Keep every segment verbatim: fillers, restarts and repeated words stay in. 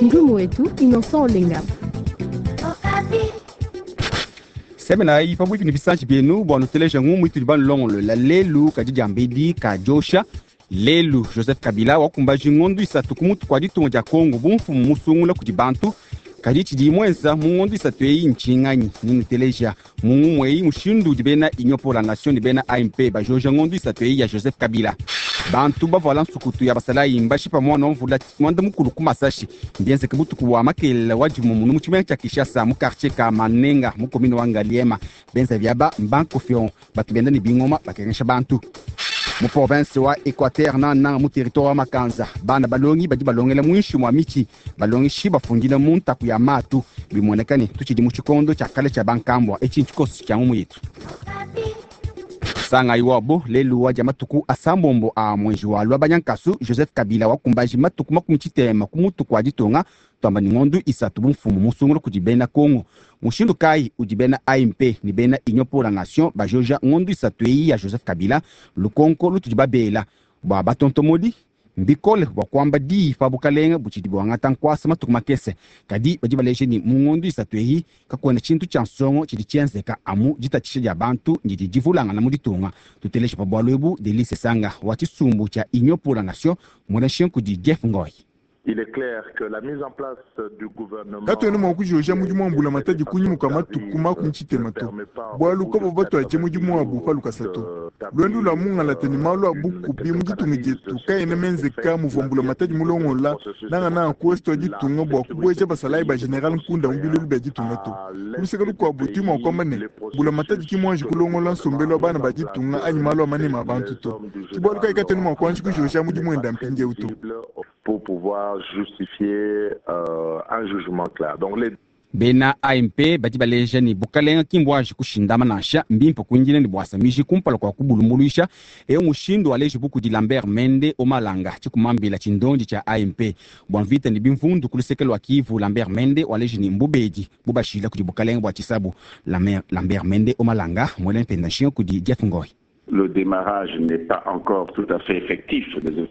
Ndumu wetu Innocent Olenga. Semenayi pabuipi ne bisanji bienu bua nuteleja ngumu itudi banulongolola lelu kadi diambedi kadiosha. Lelu Joseph Kabila wakumbaji ngondu isatu ku mutu kua ditunga dia Kongo bu mfumu musungula kudi bantu. Kadi tshidi muenza mu ngondu isatu eyi ntshinganyi ninuteleja mu ngumu eyi mushindu udi bena Union pour la Nation ne bena A M P bajoja ngondu isatu eyi ya Joseph Kabila. Bantu bavuala nsukutu ya basalayi mbashipa mwana wa mvula mwanda mukulu ku Masashi mbienzeke butuku wa makelela wa dimumunu mu tshimenga tshia Kinshasa mu quartier ka Manenga mu commune wa Ngaliema. Benza biaba mbankofion batu benda ne bingoma bakengesha bantu. Mu province wa Equateur nananga mu territoire wa Makanza bana balongi badi balongela muinshi mwa michi balongishi bafundila mu ntaku ya matu bimonekane tutshidi mu tshikondo tshia kale tshia bankambwa etshi ntshikoso tshia ngumu yetu. Sanga iwabo lelu wa matuku asambombo a mwenji wa lwa banyankasu Joseph Kabila wakumbaji matuku makumi tshitema ku mutu kwa ditunga twamba ni ngondu isatu bumfumu musungula kudi bena Kongo. Mushindu kai udi bena A M P ni bena Union pour la Nation bajoja ngondu isatu eyi ya Joseph Kabila lukonko lutudi babela bwa batontomodi mbikole bwa kwamba diyi pa bukalenga butshidi bwangata nkwasa matuku makese kadi badi baleje ni mu ngondu isatu eyi kakwena tshintu tshia nsongo tshidi tshienzeka amu ditatshisha dia bantu ndidi divulangana mu ditunga. Tuteleshe pa bwalu ebu Delice Sanga wa tshisumbu tshia Union pour la Nation mwana kudi Jeff Ngoy. Il est clair que la mise en place du gouvernement Katwena mwa kujoja mudimu wa mbula matadi kunyimuka matuku makumi tshitema to. Bwalu kobo batwaje mudimu wa bupa lukasato. Lwendu lwa mungala teni malu a bukubi mu ditunga dietu kaena menzeka muvua mbula matadi mulongola nanga na kuesto ditunga bua kubweja basalayi ba general Nkunda mu bilulu bia ditunga to. Kuluseka lukuabu tudi mua kuamba ne mbula matadi ki muanji kulongola nsombelu wa bana ba ditunga anyi malu a manema a bantu to. Ki bualu kayi katwena mua kuanji kujoja mudimu wenda mpindieu to. Pour pouvoir justifier euh, un jugement clair. Donc les Bena A M P badi baleja ni bukalenga kimbwaji kushindama nansha mbimpe kuindila ni bwasa miji kumpala kwa kubulumbuluisha eyo mushindu waleji buku di Lambert Mende omalanga tshikumambila tshindondi tshia A M P bwa mvita ni bimvundu kulusekelo wa Kivu. Lambert Mende waleji ni mbubedi bubashila kudi bukalenga bwa tshisabu. Lambert Mende omalanga mwele mpenda nshinga kudi Jeff Ngoy. Le démarrage n'est pas encore tout à fait effectif.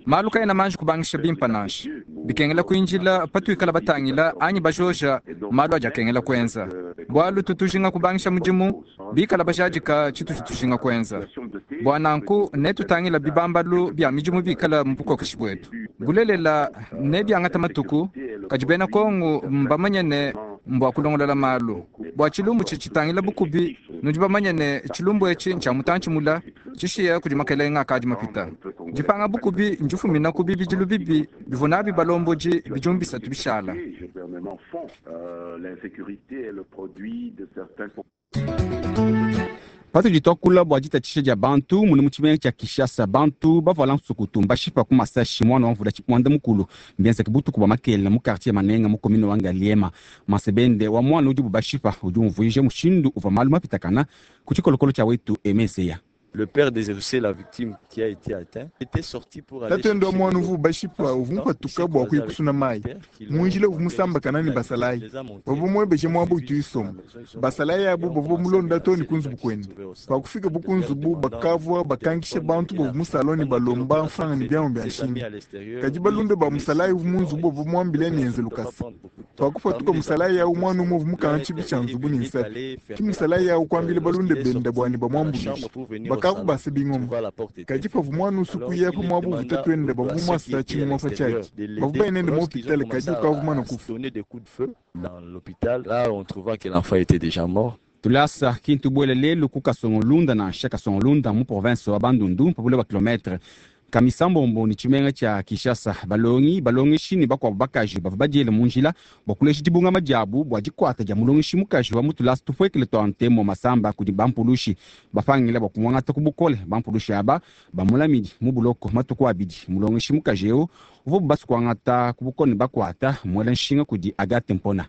Malu kaena manji kubangisha bimpa nansha bikengela kuinjila patuikala batangila anyi bajoja malu aja akengela kuenza bwalu tutujinga kubangisha mudimu bikala bajadika tshitu tshitujinga kuenza bwa nanku netutangila bibambalu bia midimu bikala mu bukokeshi bwetu bulelela ne biangata matuku kadi bena Kongo mbamanye ne mbwa kulongolola malu bwa tshilumbu tshitangila bukubi nudi bamanye ne tshilumbu etshi ntshia mutantshi mula tshishiya kudi makelenga akadi mapita dipanga bukubi ndifumina ku bibidilu bibi bivua nabi balombodi bidimu bisatu bishala. Patudi twakula bua ditatshisha dia bantu munu mu tshimenga tshia Kinshasa bantu bavuala nsukutu mbashipa ku Masashi mwana wa mvula mwanda mukulu mbienzeke butuku bua makelela mu quartier Manenga mu commune wa Ngaliema. Masebende wa mwana udi bubashipa udi umvuija mushindu uvua malu mapitakana ku tshikolokolo tshia wetu Emeseya. Le père des la victime qui a été atteint, était sorti pour aller Tatendo wa mwana uvu bashipa uvu mpatuka bua kuyikusuna mayi. Munjila uvu musambakana ne basalayi. Bavua muebeje muaba utu isoma. Basalayi abu bavua mulonda too ne ku nzubu kuende. Pakufika bu ku nzubu bakavua bakankisha bantu bavua mu salon ne balomba mfranga ne biamu bia nshinga. Kadi balunda ba musalayi uvu mu nzubu bavua muambile ne enze lukasa. Pakupatuka musalayi awu mwana umwe uvu mukanga tshibi tshia nzubu ne nsapi. Ki musalayi awu kuambile balunda benda bua ne bamuambuluishe. Bakavu base bingoma. Kadi pavu mwana usuku ya pa mwabu vuta twende bavu mwasa tshingoma fa tshiaki. Bavu bainende mu hôpital kadi ukavu mwana kufa. Dans l'hôpital, là on trouva que l'enfant était déjà mort. Tulasa kintu bwele lelu ku Kasongolunda nansha Kasongolunda mu province wa Bandundu pabule ba kilomètre kamisambombo ni tshimenga tshia Kinshasa. Balongi balongeshi ne bakuabu bakaji bavua badiele mu njila bua kulesha dibungama diabu bua dikuata dia mulongeshi mukaji wa mutulasa tupuekele tua ntemo masamba kudi bampulushi bapangila bua kumuangata ku bukole. Bampulushi aba bamulamidi mu buloko matuku abidi. Mulongeshi mukaji eu uvua bubasi kuangata ku bukole ne bakuata muela nshinga kudi Agathe Mpona.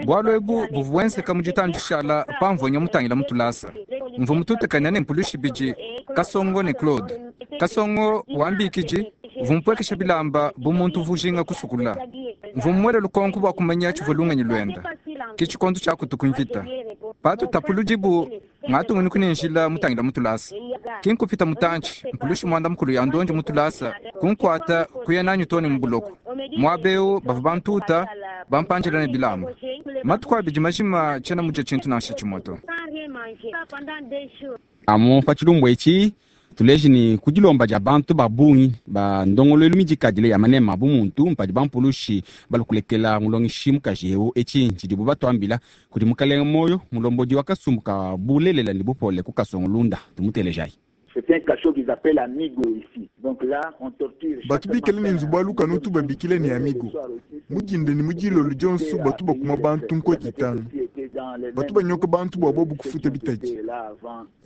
Bwalu ebu buvua buenzeka mu ditandishala pamvua mutangila mutulasa. Mvua mututekanya ne mpulushi bidi Kasongo ne Claude. Kasongo wambikiji uvua mupwekesha bilamba bu muntu uvua ujinga kusukula. Mvua mumuele lukonko bua kumanya tshivua lungenyi luenda. Ki tshikondo tshia kutuku mvita. Patu tapuludibu ngatungunuku ne njila mutangila mutulasa. Kinkupita mutantshi mpulushi mwanda mukulu ya ndonji mutulasa kunkwata kuya nanyu toni mubuloko mwabeu bava bantuta bampanjela ne bilamba matuku abidi majima tshena muja tshintu nansha tshimoto. Amu pa tshilumbu etshi tuleji ni kudilomba dia bantu ba bungi ba ndongoluelu midikadile ya manema bu muntu mpadi bampulushi balukulekela mulongeshi mukaji eu etshi tshidibu batuambila kudi mukalenga moyo mulombodi wa kasumbu ka bulelela ne bupole ku Kasongolunda tumutelejayi. Batu bikale ne nzubu wa lukanu utu babikile ne amigo mudinde ne mudilolo dionso batu bakuma bantu nkoti itanu batu banyoka bantu bua bobu kufuta bitadi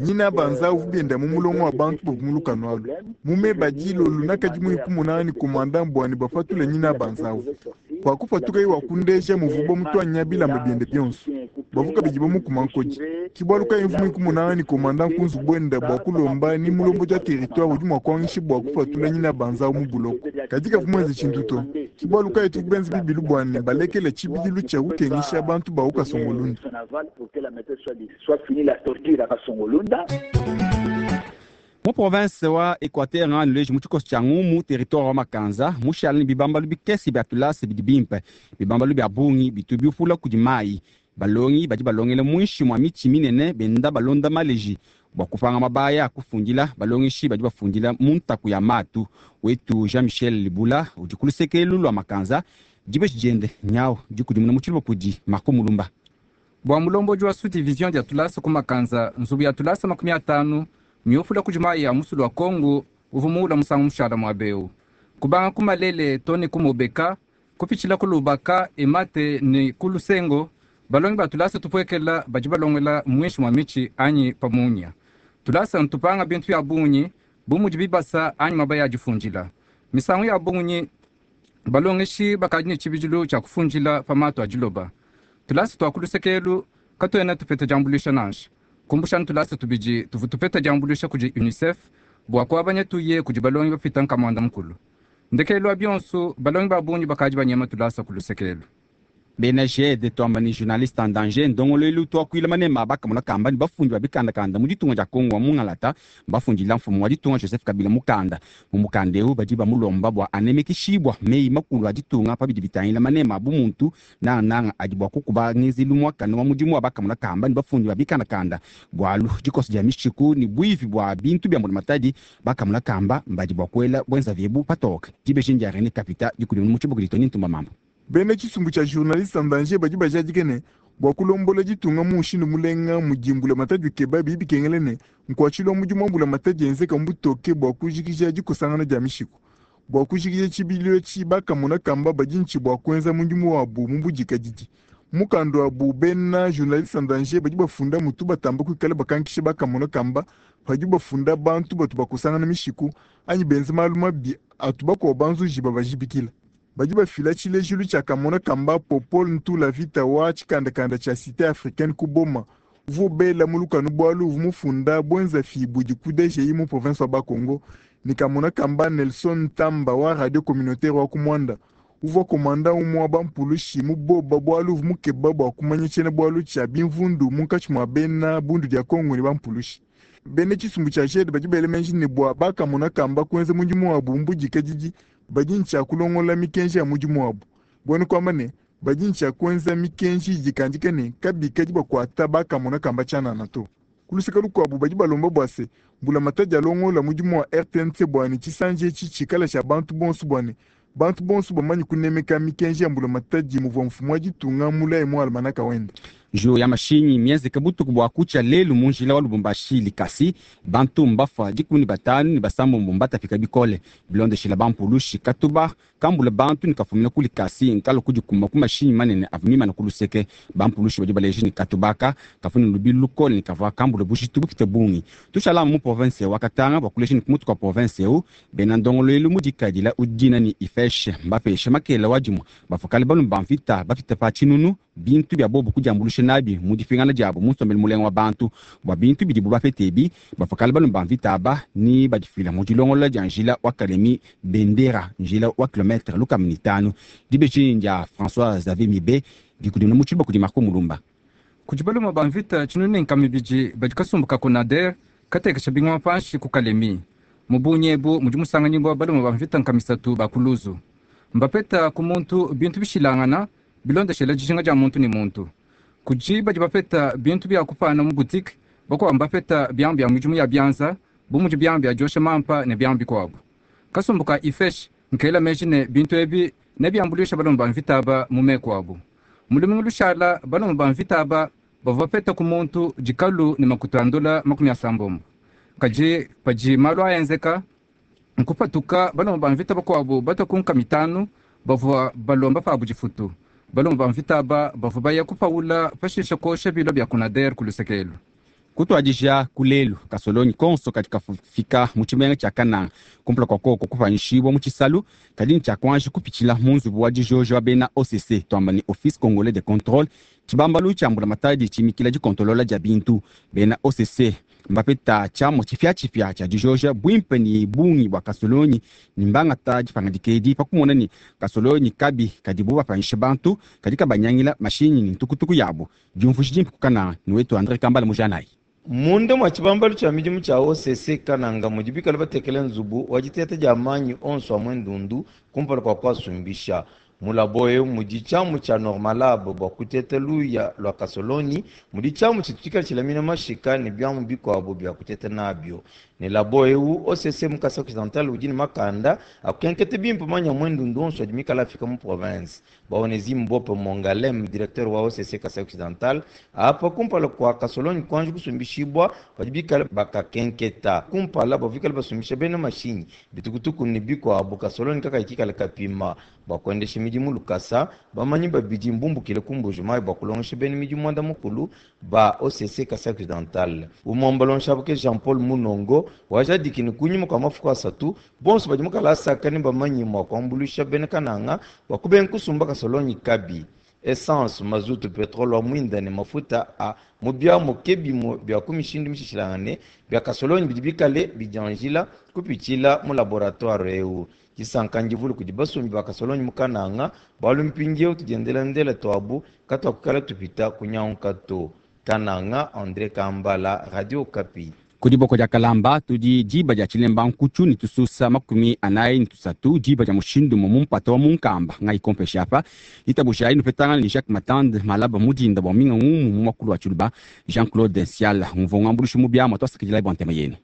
nyina banza uvu bienda mu mulongo wa bantu bobu mu lukanu alu mume badilolo nakadi muiku munani komanda mbwani bapatula nyina banza uvu kwakupatuka iwa kundeja muvubo mutwanya bilamba biende bionso bavuka bidi bamukuma nkodi kibwaluka imvu muiku munani komanda nkunzu bwenda bua kulomba ni mulombo dia territoire udi mua kuangisha bua kupatula nyina banza mu buloko kadi kavu muenze tshintu to kibwaluka etu kubenza bibilu bwane balekele tshibidilu tshia kukengisha bantu ba ku Kasongolunda. Mu province wa Equateur nganu leji mu tshikoso tshia ngumu territoire wa Makanza mushala ne bibambalu bikese bia tulasa bidi bimpe bibambalu bia bungi bitu biupula kudi mayi balongi badi balongela muinshi mwa mitshi minene benda balonda maleji bua kupanga mabaya akufundila balongeshi badi bafundila mu ntaku ya matu wetu Jean Michel Libula udi ku lusekelu lua Makanza dibeji diende nyau dikudimuna mu tshiluba kudi Marco Mulumba. Bua mulombodi wa sous-division dia tulasa ku Makanza nzubu ya tulasa makumi atanu miupula kudi mayi ya musulu wa Kongo uvu muula musangu mushala muabeu kubanga ku Malele to ne ku Mobeka kupitshila ku Lubaka Emate ne ku Lusengo balongi ba tulasa tupuekela badi balongela muinshi mwa mitshi anyi pamunya tulasa ntupanga bintu bya bungi bu mudi bibasa anyi mabaya adifundila misangu ya bungi balongeshi bakadi ne tshibidilu tshia kufundila pa matu a diloba tulasa twa kulusekelu katuena tupeta diambuluisha nansha kumbushani tulasa tubidi tuvu tupeta diambuluisha kudi UNICEF bua kuabanya tuye kudi balongi bapita nkamwanda mukulu ndekelu wa bionso balongi ba bungi bakadi banyema tulasa kulusekelu. Bena G D twamba ni journaliste en danger ndongoluelu twakuila manema bakamona kamba ni bafundi ba bikandakanda mu ditunga dia Kongo wa mungalata bafundila mfumu wa ditunga Joseph Kabila mukanda mu mukanda eu badi bamulomba bua anemekishibwa meyi makulu a ditunga pa bidi bitangila manema bu muntu nangananga adi bua kukuba ngezelu muakane wa mudimu wa bakamona kamba ni bafundi ba bikandakanda bualu dikoso dia mishiku ni buivi bua bintu bia mbulamatadi bakamona kamba mbadi bua kuela bwenza vyebu patoke dibeji ndia René Kapita dikudi mu tshibuku ditoni ntumba mambo. Bena tshisumbu tshia journaliste en danger badi bajadike ne bua kulombola ditunga mu mushindu mulenga mudimbula matadi keba bibi bikengele ne nkuatshilwa mudimu wa mbula matadi enzeka mbutoke bua kujikija dikosangana dia mishiku bua kujikija tshibidilu etshi bakamona kamba badi ntshi bua kuenza mudimu wabu mu budikadidi mukanda wabu bena journaliste en danger badi bafunda mutu batamba kuikala bakankisha bakamona kamba padi bafunda bantu batu bakosangana mishiku anyi benza malu mabi atu bakuwa banzuji babajibikila badi bafila tshilejilu tshia kamona kamba Popol Ntula Vita wa tshikandakanda tshia Cité africaine ku Boma uvu bela mu lukanu bualu uvu mufunda bwenza fi budi ku D G I mu province wa Bakongo ni kamona kamba Nelson Ntamba wa radio communautaire wa Kumwanda uvua komanda umwe wa bampulushi mu boba bualu uvu mukeba bua kumanya tshiena bualu tshia bimvundu munkatshi mua bena bundu dia Kongo ne bampulushi. Bena tshisumbu tshia G D badi bela menji ne bua bakamona kamba kuenza mudimu wabu mbudikadidi badi ntshia kulongola mikenji ya mudimu wabu buenu kwamba ne badi ntshia kuenza mikenji idikandika ne kabikadi bakuata bakamona kamba tshianana to kuluseka lukuabu badi balomba bua se mbulamatadi alongola mudimu wa R T N C bua ne tshisanji etshi tshikala tshia bantu bonso bua ne bantu bonso bamanyi kunemeka mikenji ya mbulamatadi muvua mfumu wa ditunga mulayi mu almanaka wende. Njo ya mashinyi mienzeke butuku bua kutshia lelu mu njila wa Lubumbashi likasi bantu mbafa dikumi ne batanu ne basambombo mbatapika bikole bilondeshela bampulushi katuba kambula bantu ne kafumina ku likasi nkalo kudikuma ku mashinyi manene avua mimana ku luseke bampulushi badi baleji ne katubaka kafuna lubilu lukole ne kavua kambula bujitu bupite bungi tushala mu province wa Katanga bua kuleja ne kumutu kwa province eu bena ndongoluelu mudikadila udina ni ifeshe mbapeshe makela wa dimue bafukale balume ba mvita bapite pa tshinunu bintu bia bobu kudiambulusha nabi mu dipingana diabo mu nsombelu mulenga wa bantu bua bintu bidibu bapete ebi bafukale balume ba mvita aba ni badifila mu dilongolola dia njila wa Kalemi Bendera njila wa kilometre lukama ne itanu dibeji dia François Xavier Mibe dikudimuna mu tshiluba kudi Marco Mulumba. Kudi balume ba mvita tshinunu ne nkama ibidi badi kasumbu ka Konader Katekesha bingoma panshi ku Kalemi. Mu bungi ebu mudi musanganyibua balume ba mvita nkamisatu ba kuluzu. Mbapeta ku muntu bintu bishilangana bilondeshela dijinga dia muntu ne muntu. Kudi badi bapeta bintu bia kupana mu boutique, bakuabu mbapeta biamu bia midimu ya bianza, bu mudi biamu bia diosha mampa ne biamu bikuabu. Kasumbu ka IFESH nkela meji ne bintu ebi nebiambuluisha balume ba mvita aba mu meku abu. Mu lumingu lushala balume ba mvita aba bavua bapeta ku muntu dikalu ne makuta a ndola makumi asambombo. Kadi padi malu aenzeka nkupatuka balume ba mvita bakuabu batua ku nka mitanu bavua balomba pabu difutu. Balume ba mvita aba bavua baya kupaula pashishe kosha bilo bia Konader ku lusekelu. Kutuadija kulelu kasolonyi konso kadi kafika mu tshimenga tshia Kananga kumpala kua koko kupanyishibua mu tshisalu kadi ntshia kuanji kupitshila mu nzubu wa dijojo wa bena O C C tuamba ne Office Congolais de Contrôle tshibambalu tshia mbulamatadi tshimikila dikontolola dia bintu. Bena O C C mbapeta tshiamua tshipiatshipia tshia dijoja buimpe ne bungi bua kasolonyi ne mbangata dipangadika edi pa kumona ne kasolonyi kabi kadibu bapanyisha bantu kadi kabanyangila mashinyi ne ntukutuku yabu. Diumvuija dimpe ku Kananga ne wetu Andre Kambala Mujanayi. Munda mwa tshibambalu tshia midimu tshia O C C Kananga mudi bikale batekele nzubu wa diteta dia manyi onso a mwendundu kumpala kua kuasumbisha. Mulabo eu mudi tshiamu tshia Normalab bua kuteta luya lua kasoloni, mudi tshiamu tshitu tshilamina mashika ne biamu bikuabu bia kuteta nabio. Ne labo eu O C C mu Kasai Occidental udi ne makanda akukenkete bimpe manya mwendundu onso adi mikala afika mu province. Baonezi Mbope Mongalem, directeur wa O C C Kasai Occidental, apa kumpala kua kasoloni kuanji kusumbishibwa badi bikala bakakenketa. Kumpala bavikala basumbisha bena mashinyi bitukutuku ne bikuabu kasoloni kakayi kapima bua kuendesha midimu lukasa. Bamanyi babidi mbumbukile ku Mbuji-Mayi bua kulongesha bena midimu muanda mukulu ba O C C Kasai Occidental. Umwe ke Jean-Paul Munongo wajadiki ne kunyima kwa mafuku asatu bonso badi mukalasa ne bamanyi mua kuambuluisha bena Kananga bua kubenga kusumba kasolonyi kabi. Essence, mazutu, petrole wa mwinda ne mafuta a mu biamu ke bimue bia ku mishindu mishilangane bia kasolonyi bidi bikale bidianjila kupitshila mu laboratoire eu. Disanka ndivule kudi basumbi ba kasolonyi mu Kananga bualu mpindieu tudiendelandela tuabu katuakukala tupita kunyanguka to. Kananga, André Kambala, Radio Okapi. Ku diboko dia Kalamba tudi diba dia Tshilemba nkutshu ne tususa makumi anayi ne tusatu diba dia mushindu mu mpata wa munkamba ngai kompesha apa itabusha inu petangana ne Jacques Matande malaba mudinda bua minga ngumu mu makulu wa Tshiluba Jean-Claude Siala mvonga mbulushi mu biama twasakidila bua ntema yenu.